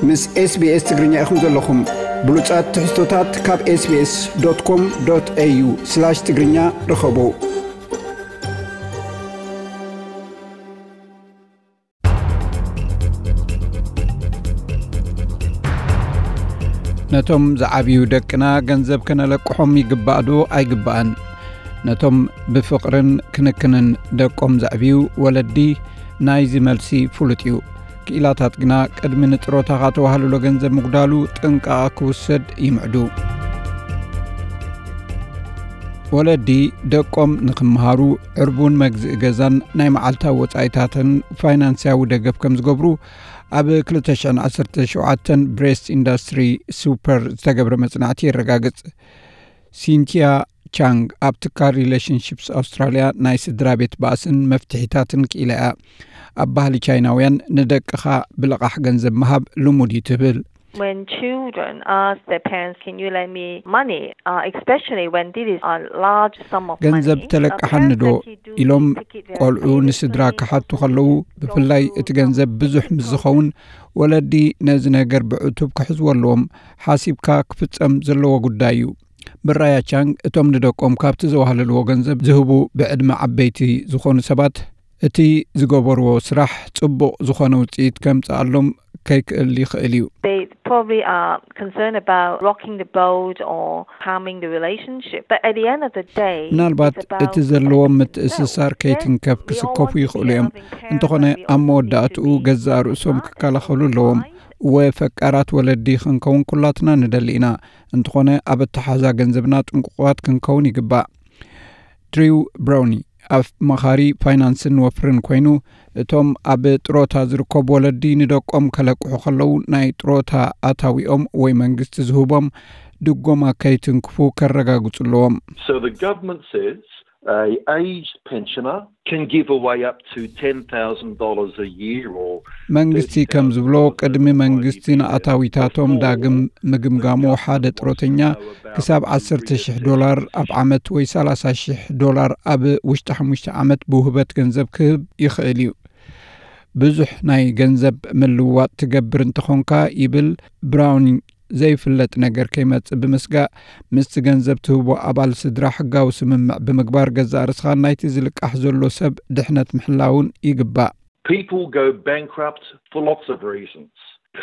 ምስ SBS ትግርኛ ኢኹም ዘለኹም። ብሉጻት ትሕዝቶታት ካብ SBS.com.au/ትግርኛ ርኸቡ። ነቶም ዝዓብዩ ደቅና ገንዘብ ከነለቅሖም ይግባእ ዶ ኣይግባእን? ነቶም ብፍቕርን ክንክንን ደቆም ዘዕብዩ ወለዲ ናይዚ መልሲ ፍሉጥ እዩ። ክኢላታት ግና ቅድሚ ንጥሮታኻ ተዋህልሎ ገንዘብ ምጉዳሉ ጥንቃቐ ክውሰድ ይምዕዱ። ወለዲ ደቆም ንኽምሃሩ ዕርቡን መግዝኢ ገዛን ናይ መዓልታዊ ወጻኢታትን ፋይናንስያዊ ደገፍ ከም ዝገብሩ ኣብ ክልተ ሽሕን ዓሰርተ ሸውዓተን ብሬስት ኢንዱስትሪ ሱፐር ዝተገብረ መጽናዕቲ የረጋግጽ። ሲንቲያ ቻንግ ኣብ ትካል ሪሌሽንሺፕስ ኣውስትራልያ ናይ ስድራ ቤት ባእስን መፍትሒታትን ክኢላ እያ። ኣብ ባህሊ ቻይናውያን ንደቅኻ ብልቓሕ ገንዘብ ምሃብ ልሙድ እዩ ትብል። When children ask their parents, "Can you lend me money?" Uh, especially when this is a large sum of ገንዘብ money, uh, ተለቅሓኒ parents ዶ tend to do ኢሎም this, take it very ቆልዑ seriously ንስድራ and ክሓቱ also ከለዉ፣ they ብፍላይ don't እቲ feel ገንዘብ ብዙሕ ምስ ዝኸውን፣ ወለዲ ነዚ ነገር ብዕቱብ ክሕዝዎ ኣለዎም። ሓሲብካ ክፍጸም ዘለዎ ጉዳይ እዩ። ብራያ ቻንግ፣ እቶም ንደቆም ካብቲ ዘዋህለልዎ ገንዘብ ዝህቡ ብዕድመ ዓበይቲ ዝኾኑ ሰባት፣ እቲ ዝገበርዎ ስራሕ ጽቡቕ ዝኾነ ውጽኢት ከምጽኣሎም ከይክእል ይኽእል እዩ። They probably are concerned about rocking the boat or harming the relationship. But at the end of the day, ምናልባት it's about እቲ ዘለዎም connecting ምትእስሳር themselves. Yes, ከይትንከፍ we all ክስከፉ want to be ይኽእሉ እዮም። Loving parents, እንተኾነ፣ and we ኣብ all need መወዳእትኡ to be ገዛእ ርእሶም smart and ክከላኸሉ open ኣለዎም። Mind. እወ፣ ፈቃራት ወለዲ ክንከውን ኩላትና ንደሊ ኢና። እንተኾነ፣ ኣብ ኣተሓዛ ገንዘብና ጥንቁቓት ክንከውን ይግባእ። ድሪው ብራውኒ፣ ኣማኻሪ ፋይናንስን ወፍርን ኮይኑ፣ እቶም ኣብ ጥሮታ ዝርከቡ ወለዲ ንደቆም ከለቅሑ ከለዉ፣ ናይ ጥሮታ ኣታዊኦም ወይ መንግስቲ ዝህቦም ድጎማ ከይትንክፉ ከረጋግጹ ኣለዎም። So the government says a aged pensioner can give away up to ten thousand dollars a year or መንግስቲ ከም ዝብሎ፣ ቅድሚ መንግስቲ ንኣታዊታቶም ዳግም ምግምጋሙ፣ ሓደ ጥሮተኛ ክሳብ ዓሰርተ ሺሕ ዶላር ኣብ ዓመት ወይ ሰላሳ ሺሕ ዶላር ኣብ ውሽጢ ሓሙሽተ ዓመት ብውህበት ገንዘብ ክህብ ይኽእል እዩ። ብዙሕ ናይ ገንዘብ ምልውዋጥ ትገብር እንተኾንካ፣ ይብል ብራውኒንግ፣ ዘይፍለጥ ነገር ከይመጽእ ብምስጋእ፣ ምስቲ ገንዘብ ትህቦ ኣባል ስድራ ሕጋዊ ስምምዕ ብምግባር፣ ገዛእ ርእስኻን ናይቲ ዝልቃሕ ዘሎ ሰብ ድሕነት ምሕላውን ይግባእ። People go bankrupt for lots of reasons.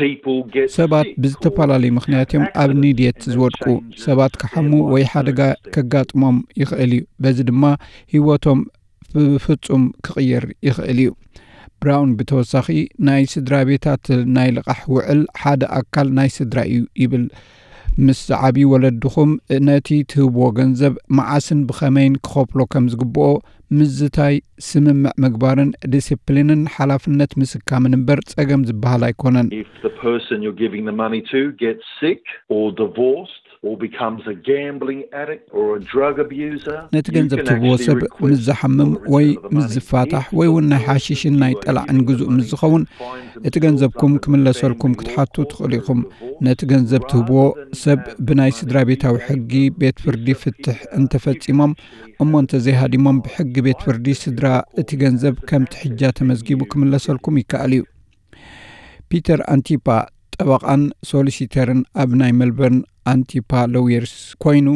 People get ሰባት sick ብዝተፈላለዩ or ምኽንያት እዮም ኣብ accidents ንድየት and they ዝወድቁ። change ሰባት ክሓሙ ወይ ሓደጋ ከጋጥሞም ይኽእል እዩ። በዚ ድማ ህይወቶም ብፍጹም ክቕየር ይኽእል እዩ። ብራውን ብተወሳኺ፣ ናይ ስድራ ቤታት ናይ ልቓሕ ውዕል ሓደ ኣካል ናይ ስድራ እዩ ይብል። ምስ ዝዓብዩ ወለድኹም ነቲ ትህብዎ ገንዘብ መዓስን ብኸመይን ክኸፍሎ ከም ዝግብኦ ምዝታይ፣ ስምምዕ ምግባርን ዲሲፕሊንን ሓላፍነት ምስካምን እምበር ጸገም ዝበሃል ኣይኮነን። If the person you're giving the money to gets sick or divorced or becomes a gambling addict or a drug abuser, ነቲ ገንዘብ ትህብዎ ሰብ ምስ ዝሓምም ወይ ምስ ዝፋታሕ ወይ እውን ናይ ሓሽሽን ናይ ጠላዕን ግዙእ ምስ ዝኸውን፣ እቲ ገንዘብኩም ክምለሰልኩም ክትሓቱ ትኽእሉ ኢኹም። ነቲ ገንዘብ ትህብዎ ሰብ ብናይ ስድራ ቤታዊ ሕጊ ቤት ፍርዲ ፍትሕ እንተፈጺሞም እሞ እንተዘይሃዲሞም፣ ብሕጊ ቤት ፍርዲ ስድራ እቲ ገንዘብ ከም ትሕጃ ተመዝጊቡ ክምለሰልኩም ይከኣል እዩ። ፒተር ኣንቲፓ ጠበቓን ሶሊሲተርን ኣብ ናይ ሜልበርን ኣንቲፓ ሎየርስ ኮይኑ፣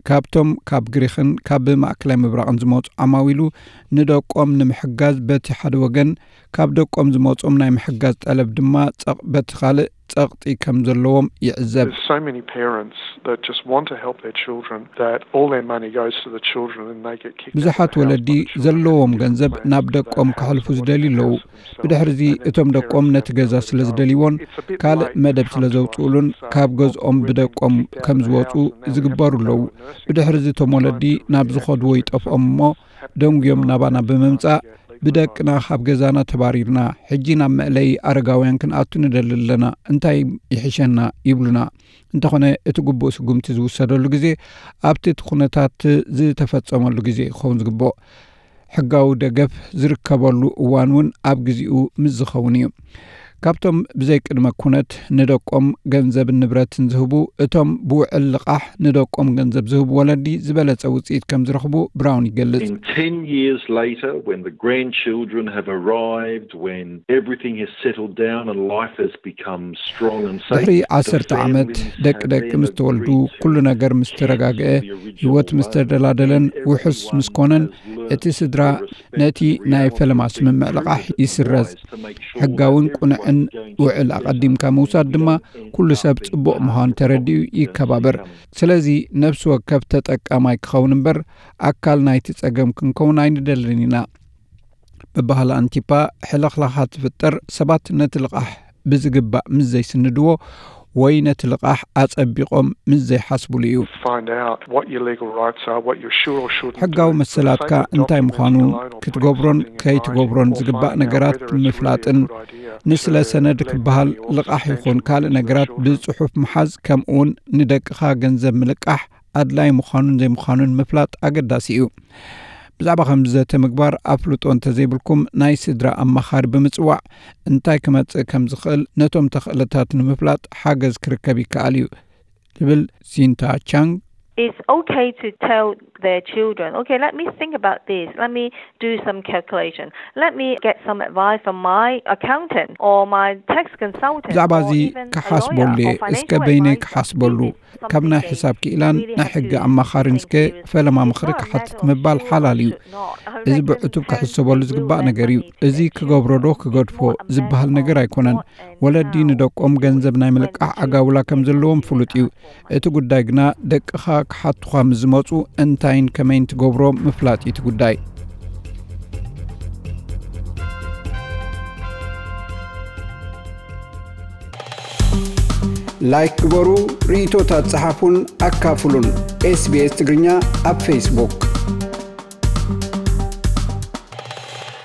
ካብቶም ካብ ግሪኽን ካብ ማእከላይ ምብራቕን ዝመጹ ዓማዊሉ ንደቆም ንምሕጋዝ በቲ ሓደ ወገን፣ ካብ ደቆም ዝመጾም ናይ ምሕጋዝ ጠለብ ድማ ጸቕ-፣ በቲ ካልእ ጸቕጢ ከም ዘለዎም ይዕዘብ። There's so many parents that just want to help their children that all their money goes to the children and they get kicked out of ብዙሓት the house ወለዲ by the children ዘለዎም and ገንዘብ ናብ ደቆም ከሕልፉ ዝደልዩ ኣለዉ። ብድሕርዚ እቶም ደቆም ነቲ ገዛ ስለ ዝደልይዎን ካልእ መደብ ስለ ዘውፅኡሉን ካብ ገዝኦም ብደቆም ከም ዝወፁ ዝግበሩ ኣለዉ። ብድሕርዚ እቶም ወለዲ ናብ ዝኸድዎ ይጠፍኦም እሞ ደንጉዮም ናባና ብምምፃእ፣ "ብደቅና ካብ ገዛና ተባሪርና፣ ሕጂ ናብ መእለዪ ኣረጋውያን ክንኣቱ ንደሊ ኣለና፣ እንታይ ይሕሸና?" ይብሉና። እንተኾነ፣ እቲ ግቡእ ስጉምቲ ዝውሰደሉ ግዜ ኣብቲ እቲ ኩነታት ዝተፈጸመሉ ግዜ ክኸውን ዝግብኦ፣ ሕጋዊ ደገፍ ዝርከበሉ እዋን እውን ኣብ ግዜኡ ምስ ዝኸውን እዩ። ካብቶም ብዘይ ቅድመ ኩነት ንደቆም ገንዘብን ንብረትን ዝህቡ፣ እቶም ብውዕል ልቓሕ ንደቆም ገንዘብ ዝህቡ ወለዲ ዝበለጸ ውጽኢት ከም ዝረኽቡ ብራውን ይገልጽ። In ten years later, when the grandchildren have arrived, when everything has settled down and life has become strong and safe, ድሕሪ ዓሰርተ ዓመት ደቂ ደቂ ምስ ተወልዱ፣ ኩሉ ነገር ምስ ተረጋግአ፣ ህይወት ምስ ተደላደለን ውሑስ ምስ ኮነን፣ እቲ ስድራ ነቲ ናይ ፈለማ ስምምዕ ልቓሕ ይስረዝ። ሕጋውን ቁኑዕን ውዕል ኣቐዲምካ ምውሳድ ድማ ኩሉ ሰብ ጽቡቕ ምዃኑ ተረዲኡ ይከባበር። ስለዚ ነፍሲ ወከፍ ተጠቃማይ ክኸውን እምበር ኣካል ናይቲ ጸገም ክንከውን ኣይንደልን ኢና። ብባህሊ ኣንቲፓ ሕልኽላኻ ትፍጠር ሰባት ነቲ ልቓሕ ብዝግባእ ምስ ዘይስንድዎ ወይ ነቲ ልቓሕ ኣጸቢቖም ምስ ዘይሓስብሉ እዩ። Find out what your legal rights are, what you should or shouldn't ሕጋዊ do. መሰላትካ እንታይ ምዃኑ ክትገብሮን ከይትገብሮን ዝግባእ ነገራት ምፍላጥን ንስለ ሰነድ ክበሃል ልቓሕ ይኹን ካልእ ነገራት ብጽሑፍ ምሓዝ ከምኡውን ንደቅኻ ገንዘብ ምልቃሕ ኣድላይ ምዃኑን ዘይምዃኑን ምፍላጥ ኣገዳሲ እዩ። ብዛዕባ ከምዚ ዘተ ምግባር ኣፍልጦ እንተዘይብልኩም ናይ ስድራ ኣማኻሪ ብምጽዋዕ እንታይ ክመጽእ ከም ዝኽእል ነቶም ተኽእለታት ንምፍላጥ ሓገዝ ክርከብ ይከኣል እዩ ትብል ሲንታ ቻንግ። It's okay to tell their children, okay, let me think about this, let me do some calculation, let me get some advice from my accountant or my tax consultant. ብዛዕባ እዚ ክሓስበሉ እየ፣ እስከ በይነይ ክሓስበሉ። ካብ ናይ ሕሳብ ክኢላን ናይ ሕጊ ኣማኻሪን እስከ ፈለማ ምኽሪ ክሓትት ምባል ሓላል እዩ። እዚ ብዕቱብ ክሕሰበሉ ዝግባእ ነገር እዩ። እዚ ክገብሮ ዶ ክገድፎ ዝበሃል ነገር ኣይኮነን። ወለዲ ንደቆም ገንዘብ ናይ ምልቃሕ ኣጋውላ ከም ዘለዎም ፍሉጥ እዩ። እቲ ጉዳይ ግና ደቅኻ ክሓቱኻ ምስ ዝመጹ እንታይን ከመይን ትገብሮ ምፍላጥ እዩ እቲ ጉዳይ። ላይክ ግበሩ፣ ርእይቶታት ጸሓፉን ኣካፍሉን። ኤስቢኤስ ትግርኛ ኣብ ፌስቡክ።